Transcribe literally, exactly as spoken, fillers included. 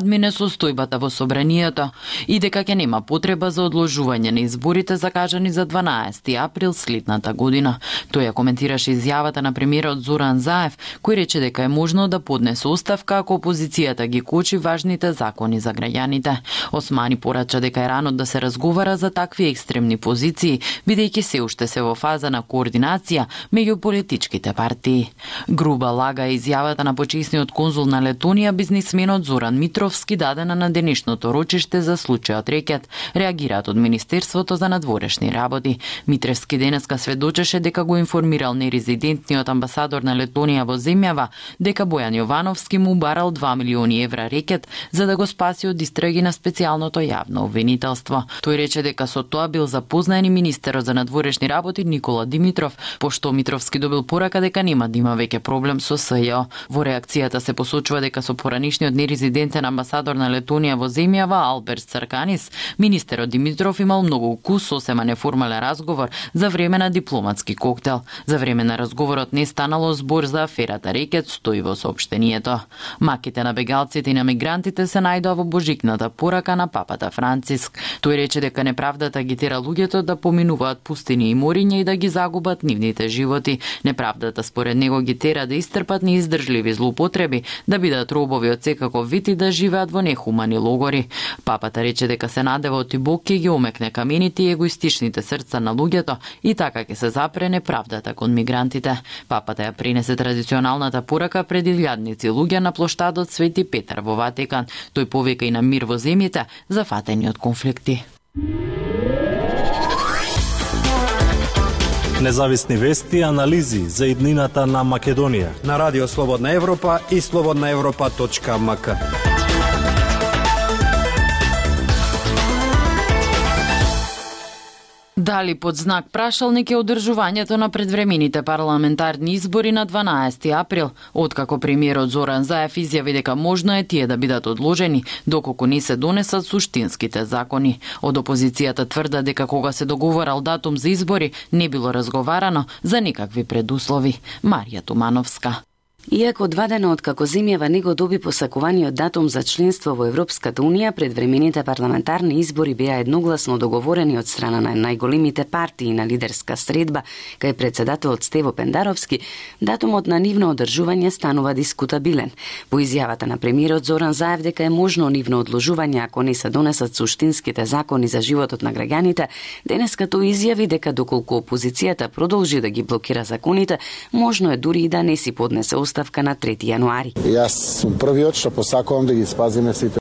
админе состојбата во собранието и дека ќе нема потреба за одложување на изборите закажани за дванаести април следната година. Тој ја коментираше изјавата на премиерот Зоран Заев, кој рече дека е можно да поднесе оставка ако опозицијата ги кочи важните закони за граѓаните. Османи порача дека е рано да се разговара за такви екстремни позиции, бидејќи се уште се во фаза на координација меѓу политичките партии. Груба лага е изјавата на почесниот конзул на Летонија, бизнисменот Зоран Митровски, дадена на денешното рочиште за случајот Рекет, реагираат од Министерството за надворешни работи. Митровски денеска сведочеше дека го информирал нерезидентниот амбасадор на Летонија во земјава дека Бојан Јовановски му барал два милиони евра рекет за да го спаси од истраги на специјалното јавно обвинителство. Тој рече дека со тоа бил запознаен и министерот за надворешни работи Никола Димитров, пошто Митровски добил порака дека нема да има веќе проблем со СЈО. Во реакцијата се посочува дека со поранишниот нерезидентен амбасадор на Летонија во земјава Алберт Царканис, министерот Димитров имал многу укус сосема неформален разговор за време на дипломатски коктел. За време на разговорот не станало збор за аферата Рекет, стои во соопштението. Маките на бегалците и на мигрантите се најдоа во божикната порака на папата Франциск. Тој рече дека неправдата ги тера луѓето да поминуваат пустини и мориња и да ги загубат нивните животи. Неправдата според него ги тера да истрпат неиздржливи злоупотреби, да бидат робови од секаков вид и да живеат во нехумани логори. Папата рече дека се надева оти Бог ќе ги омекне камените и егоистичните срца на луѓето и така ќе се запре неправдата кон мигрантите. Папата ја принесе традиционалната порака пред илјадници луѓе на плоштадот Свети Петар во Ватикан. Тој повика и на мир во земјите зафатени од конфликти. Независни вести и анализи за иднината на Македонија на Радио Слободна Европа и слободна европа точка ем ка. Дали под знак прашалник е одржувањето на предвремените парламентарни избори на дванаести април, откако премиерот Зоран Заев изјави дека можно е тие да бидат одложени доколку не се донесат суштинските закони. Од опозицијата тврда дека кога се договорал датум за избори не било разговарано за никакви предуслови. Марија Тумановска. Иако два дена откако земјава не го доби посакуваниот датум за членство во Европската Унија, предвремените парламентарни избори беа едногласно договорени од страна на најголемите партии на лидерска средба, кај председателот Стево Пендаровски, датумот на нивно одржување станува дискутабилен. По изјавата на премиерот Зоран Заев дека е можно нивно одложување ако не се донесат суштинските закони за животот на граѓаните, денеска тој изјави дека доколку опозицијата продолжи да ги блокира законите, можно е дури и да не си поднесе оставка на трети јануари. Јас сум првиот што посакувам да ги спазиме сите